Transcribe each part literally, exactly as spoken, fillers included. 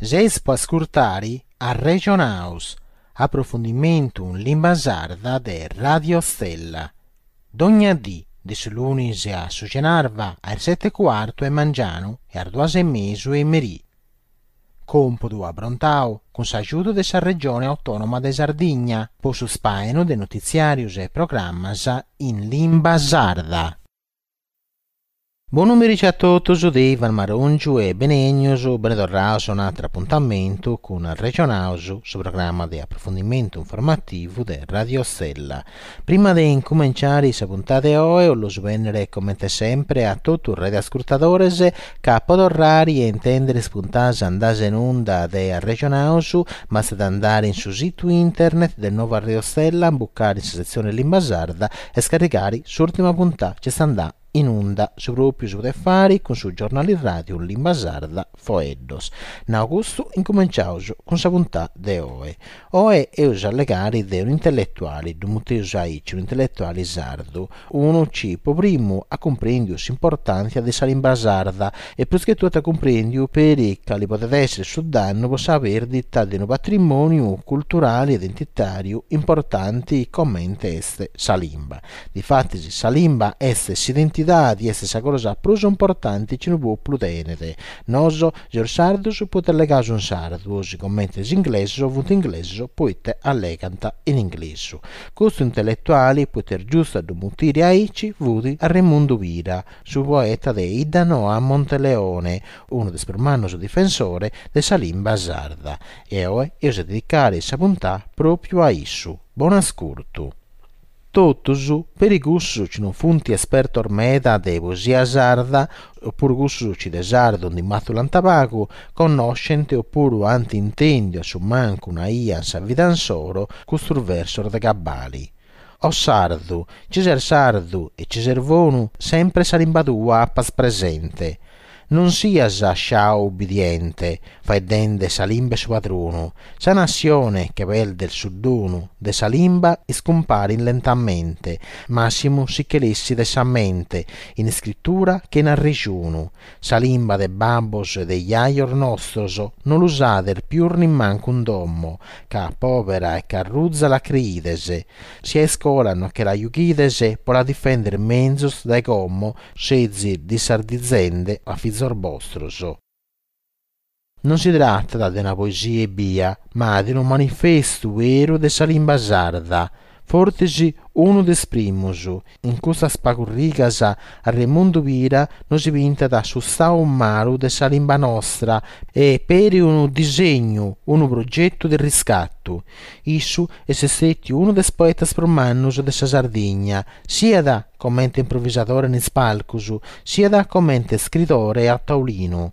Seis po ascurtari Arrexonaus, aprofundimentu in limba sarda de Radio Stella. Dogna dì, de su lunis a su cenarba, a is seti e cuartu 'e mangianu e a is duas e mesu 'e merì. Còmpudu aprontau cun s'agiudu de sa Regione Autònoma de Sardigna po su spàinu de notitziàrios e programmas in limba sarda. Bonu merici a totus de Ivan Marongiu e benènnius, bene torraus a un'atru apuntamentu cun Arrexonaus, su programma de aprofundimentu informativu de Radio Stella. Prima de incumenciare sa puntada de oe, 'ollu bènnere comente sempre a totu is radioascurtadores ca po torrare a intèndere is puntadas andadas in unda de Arrexonaus bastat andare in su situ internet de Nova Radio Stella, imbucare in sa setzione limba sarda e scarrigare s'ùrtima puntada chi est andada in unda. Su pròpiu si podet fare cun su giornale radio in limba sarda Foeddos. Nau custu, incumenciaus cun sa puntada de oe. Oe eus a allegare de un'intelletuale, ddu muteus aici, un'intelletuale sardu, unu chi po primu at cumprèndiu s'importàntzia de sa limba sarda e prus che totu at cumprèndiu peri cale podet èssere su dannu po sa pèrdita de unu patrimòniu culturale e identitàriu importante comente est sa limba. Difatis sa limba est s'identidade, est sa cosa prus importante chi unu pòpulu tenet. Noso seus sardos poite allegaus in sardu, sigomente is inglesos funt inglesos poite allegant in inglesu. Custu intelletuale, poite est giustu a ddu mutire aici, fut Arremundu Pira, su poeta de 'Iddanoa Monteleone, unu de is prus mannos difensores de sa limba sarda. E oe eus a dedicare sa puntada pròpiu a issu. Bonu ascurtu. Totus, peri cussos chi non funt espertos meda de poesia sarda, opuru cussos chi de sardu ndi matzulant pagu, connoschent opuru ant intèndiu a su mancu una 'ia in sa vida insoro custos versos de cabale. O sardu, chi ses sardu e chi ses bonu, sempre sa limba tua apas presente. Non sias sciau ubbidiente, faeddende sa limba 'e su padronu. Sa nassione che peldet su donu de sa limba iscumparit lentamente, massimu si che l'essit dae sa mente, in iscritura che in arrejonu. Sa limba de babbos e de jajos nostros non l'usades pius nemmancu in domo, ca pobera e ca ruza la creides. Si a iscola no che la jughides, pro la difender menzus dae como, sezis dissardizende a fizos bostros. Non si tratat de una poesia ebbia, ma de unu manifestu beru de sa limba sarda. Fortzis unu de is primos. In custas pagu rigas Arremundu Pira nos pintat su stadu malu de sa limba nostra e peri unu disegnu, unu progetu de riscatu. Issu est istètiu unu de is poetas prus mannos de sa Sardigna, siat comente improvisadore in is palcos, siat comente iscritore a taulinu.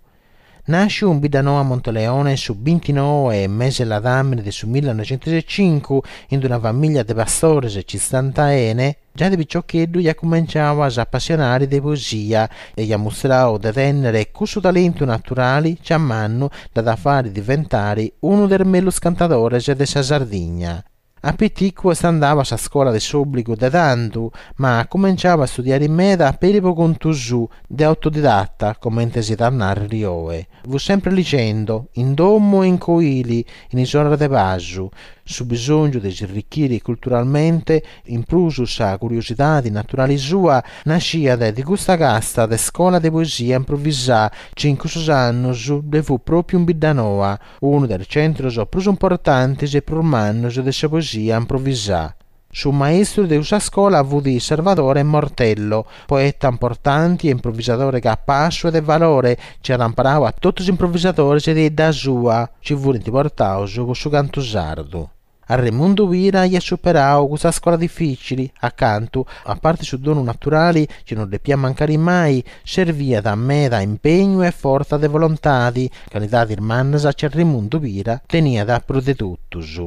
Nàsciu in Biddanoa Monteleone su bintinoe mese ladàmene de su millenoixentus e cincu in una famìllia de pastores chi istant 'ene, giai de piciocheddu iat cumenciadu a s'apassionare de poesia e iat mustradu de tènnere cussu talentu naturale chi a mannu dd'at a fàghere diventare unu de is mellus cantadores de sa Sardigna. A piticu est andadu a sa scola de s'òbligu de tando, ma at cumenciadu a istudiare meda peri pro contu suo, de autodidatta, comente si diat nàrrere oe. Fut sempre ligende, in domo e in coile, in is oras de pasu. Su bisòngiu de s'irrichire culturalmente, in prus sa curiosidade naturale sua, naschiat de custa casta de scola de poesia improvisada chi in cussos annos ddoe fut pròpiu in Biddanoa, unu de is centros prus importantes e prus mannos de sa poesia improvisada. Su maistru de cussa scola fut Sarvadore Mortello, poeta importante e improvisadore capassu e de valore chi at imparadu a totu is improvisadores de 'idda sua, chi furint portados pro su cantu sardu. Arremundu Pira aiat superadu custa scola difìcile, a cantu, a parte su donu naturale chi non depiat mancare mai, serviat meda impegnu e fortza de volontade, calidades mannas chi Arremundu Pira teniat prus de totus.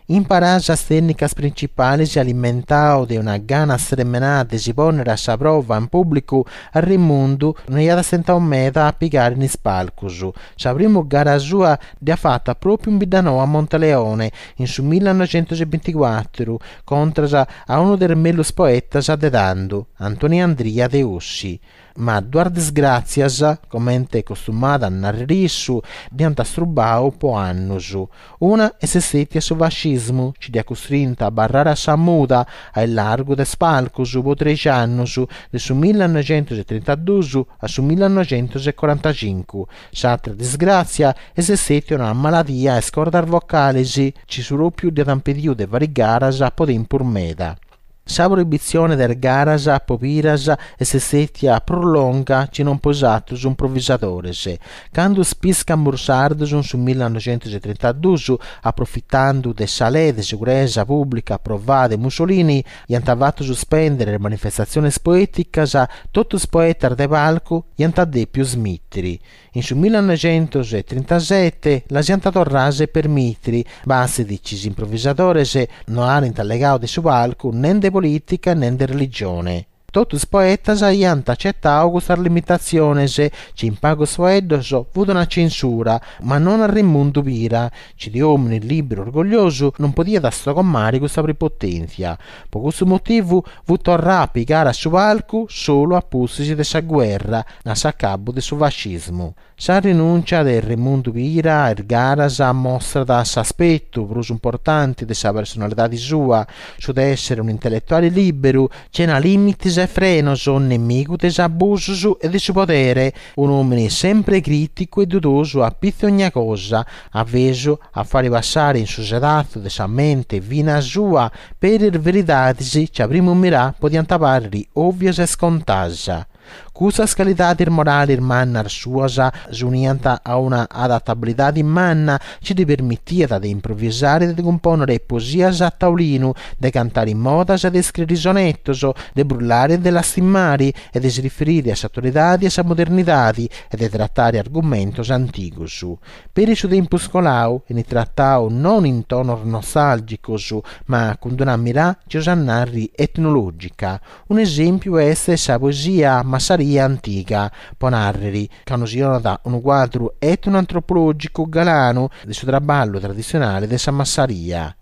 Imparà sas tècnicas printzipales e alimentadu de una gana stremenada de si pònnere a sa prova in pùblicu, Arremundu no aiat stentadu meda a pigare in is palcos. Sa primu gara sua dd'iat fata pròpiu in Biddanoa Monteleone, in su millenoixentus e binticuatru, contras a unu de is mellus poetas de tando, Antoni Andria de Ossi. Ma duas disgràtzias, comente costumàt a nàrrere issu, dd'iant istrubadu pro annos. Una est istètia su fascismu chi dd'iat custrintu a abarrare a sa muda, a largu dae is palcos pro trèighi annos, de su millanoighentos trintaduos a su millanoighentos corantacincu. S'àtera disgràtzia est istètia una maladia a is cordas vocales chi su pròpiu dd'iat impedidu de fàghere garas pro tempus meda. Sa proibitzione de is garas pro Piras est istètia prus longa chi non pro is àteros improvisadores. Cando is pìscamos sardos in su millanoighentos trintaduos, aprofitende de sa lege de seguresa pùblica aprovada de Mussolini, aiant fatu suspèndere is manifestatziones poèticas, totu is poetas de palcu aiant dèpidu ismìtere. In su millanoighentos trintasete las aiant torradas a permìtere, bastet chi is improvisadores no aerent allegadu de su palcu nen de polìtica nen de religione. Totu is poetas aiant atzetadu custas limitatziones, chi in pagos faeddos fiat una tzensura, ma non a Remundu Pira, chi de òmine lìberu e orgolliosu non podiat istogomare custa prepotèntzia. Pro custu motivu fiat torradu a pigare a su palcu solu a pustis de sa gherra, a s'acabu de su fascismu. Sa rinùntzia de Remundu Pira a is garas mostrat s'aspetu prus importante de sa personalidade sua, su de èssere un'intelletuale lìberu, sena lìmites e frenos, nemigu de is abusos e de su podere, un'òmine semper crìticu e dudosu a pitzu de ogna cosa, avesu a fàghere passare in su sedatzu de sa mente fina sua peri is veridades chi a primu mirada podiant pàrrere òvias e iscontadas. Custas calidades morales mannas suas s'uniant a una adatabilidade manna chi ddi permitiat de improvisare e de cumpònnere poesias a taulinu, de cantare modas e de iscrìere sonetos, de brullare e de lastimare e de si riferire a s'atualidade e a sa modernidade e de tratare argumentos antigos. Peri su tempus coladu 'enit tratadu non in tonos nostàlgicos, ma cun una mirada chi eus a nàrrere etnològica. Un'esèmpiu est sa poesia Massaria Antiga, pro nàrrere, ca nos donat unu cuadru etnoantropològicu galanu de su traballu traditzionale de sa massaria.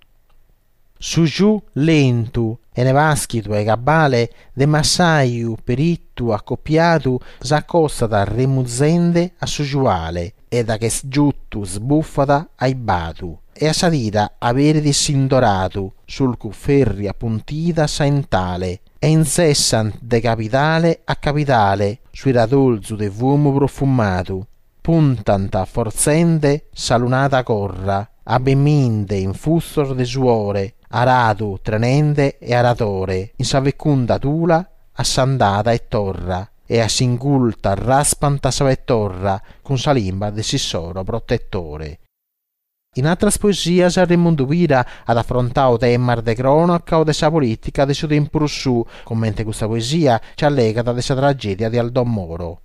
Su giù lentu, 'ene pàschidu e cabale, de massaju peritu acopiadu s'acostat remuzende a su giuale e da ch'est giuttu isbufat aibadu e a sa tira aberit s'indoradu sulcu ferru apuntida sa 'entale e intzessant de cabidale a cabidale suiradorzu de fumu profumadu. Puntant fortzende sa lunada corra, abbeminde infustos de suore, aradu trenende e aradore in sa fecunda tula a s'andada e torra e a s'ingulta raspant sa petorra cun sa limba de s'issoro protetore. In àteras poesias Remundu Pira at afrontadu temas de crònaca o de sa polìtica de su tempus suo, comente custa poesia chi allegat de sa tragèdia de Aldo Moro.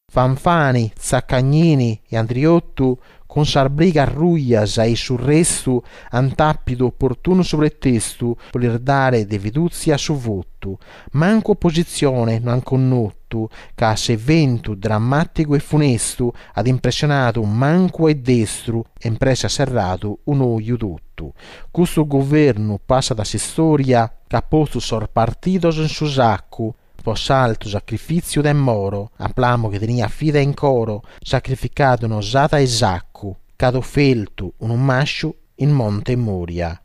Fanfani, Zaccagnini e Andriottu cun sas brigas rujas e su restu ant àpidu oportunu su pretestu pro lis dare de fidùtzia su votu. Mancu opositzione no ant connotu, ca s'eventu drammàticu e funestu at impressionadu mancu e destru e in presse at serradu un'oju totu. Custu guvernu passat a s'istòria ca at postu sos partidos in su sacu pro s'altu sacrifìtziu de Moro, a plamu chi teniat fide in coro, sacrificadu nos at a Isaccu, ch'at ofertu unu màsciu in Monte Moria.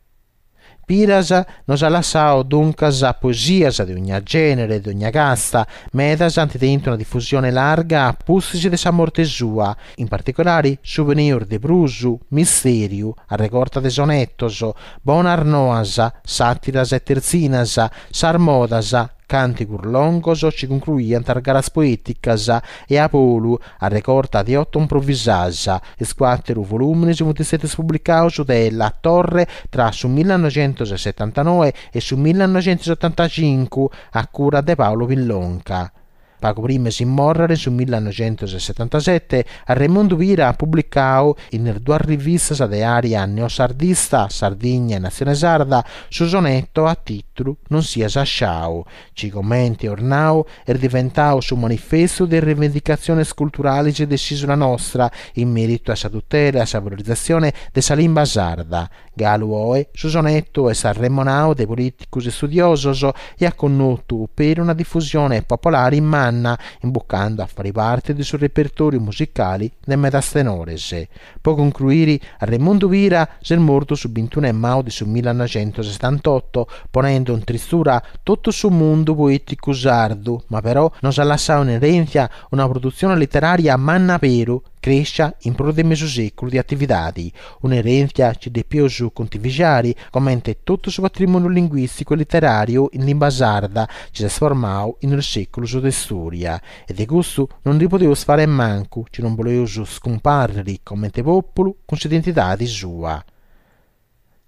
Piras nos at lassadu duncas poesias de ogna gènere e de ogna casta, medas ant tentu una difusione larga a pustis de sa morte sua, in particulare Su Peneus de prus, Mistèriu, arregorta de sonetos, Bonas noas, sàtiras e tertzinas, Sas modas, càntigos longos chi concruiant is garas poèticas, e A bolu, arregorta de oto improvisadas. Is cuàteru volùmenes funt istètios publicados de La Torre tra su millanoighentos setantanoe e su millanoighentos otantacincu a cura de Paolo Pillonca. Pagu prima de si mòrrere, in su millanoighentos setantasete, Remundu Pira at publicadu in is duas rivistas de àrea neosardista Sardigna e Natzione Sarda su soneto a tìtulu Non sias asciau, chi, comente eus nau, est diventadu su manifestu de is rivendicatziones culturales de s'ìsula nostra in mèritu a sa tutela e a sa valorizatzione de sa limba sarda. Galu oe su soneto est arremonadu de polìticos e istudiosos e at connotu peri una difusione popolare manna. manna, imbucando a fare parte de su repertòriu musicale de medas tenores. Po concruire, Arremundu Pira s'est mortu su bintunu 'e maju de su millanoighentosetantotto, ponende in tristura totu su mundu poèticu sardu, ma però nos at lassadu in erèntzia una produtzione literària manna aberu, crèschia in prus de mesu sèculu de atividade, un'erèntzia chi depimus contivigiare comente totu su patrimòniu linguìsticu e literàriu in limba sarda chi s'est formadu in is sèculos de istòria. E de custu non nde podimus fare mancu chi non bolemus iscumpàrrere comente pòpulu cun s'identidade sua.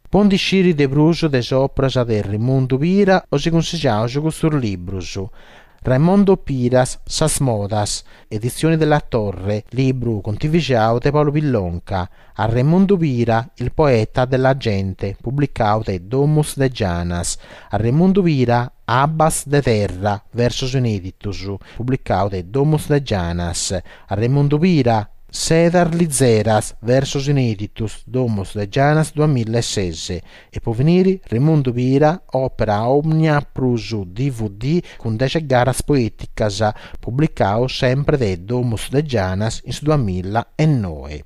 Po nd'ischire de prus de is òperas de Remundu Pira os cussigiamus custos libros. Raimondo Piras, Sas modas, Edizioni della Torre, libru contivigiadu de Paolo Pillonca. Arremundu Pira, Il poeta della gente, publicadu de Domus de Janas. Arremundu Pira, Abbas de terra, versos inèditos, publicadu de Domus de Janas. Arremundu Pira, Sedas lizeras, versos inèditos, Domus de Janas duamilla e ses. E po finire, Remundu Pira, Opera Omnia prus D V D cun deghe garas poèticas, publicadu sempre de Domus de Janas in su duamilla e noe.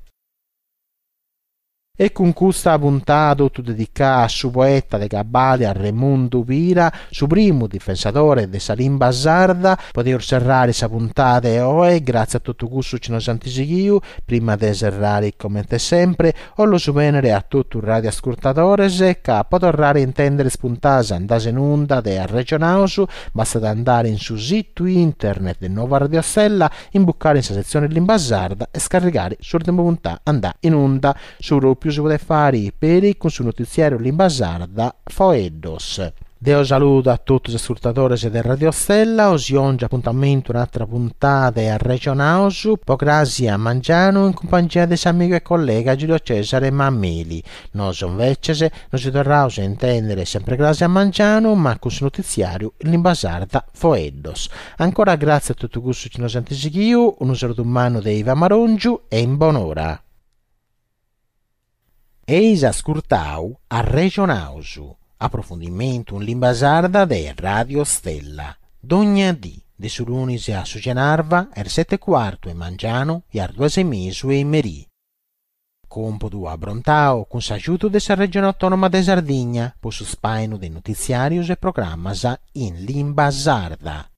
E cun custa puntada totu dedicada a su poeta de Cabale Arremundu Pira, su primu difensadore de sa limba sarda, podeus serrare sa puntada de oe, grazie a totu cussu chi nos ant sighiu. Prima de serrare, comente sempre, 'ollo benere a totu radioascurtadores ca po torrare a intendere is puntadas andadas in unda de Arregionaus, bastat andare in su situ internet de Nuova Radio Stella, imbucare in sa sezione limba sarda e scarrigare s'ultima puntata andà in onda. Su propriu si podet fare peri cun su notiziario limba sarda Foeddos. Deo saludo a totus is ascurtadores de Radio Stella, os ongi appuntamento un'altra puntata de Arregionaus, po crasi a Mangiano in compagnia de s'amigo e collega Giulio Cesare Mameli. Nos invece nos torraus a intendere sempre crasi a Mangiano, ma con su notiziario in limba sarda Foeddos. Ancora grazie a tutti cussi che nos hanno seguito, un saluto umano de Iva Marongiu e in buon'ora. Eis ascurtau Arregionaus, approfondimento in limba sarda de Radio Stella. Dogna dì, de su lunis a su Genarva, er sette e quarto e Mangiano e ar duas e mesu e merì. Compodu abrontau cun s'aiuto de sa Regione Autonoma de Sardigna po su spainu de notiziarios e programmas in limba sarda.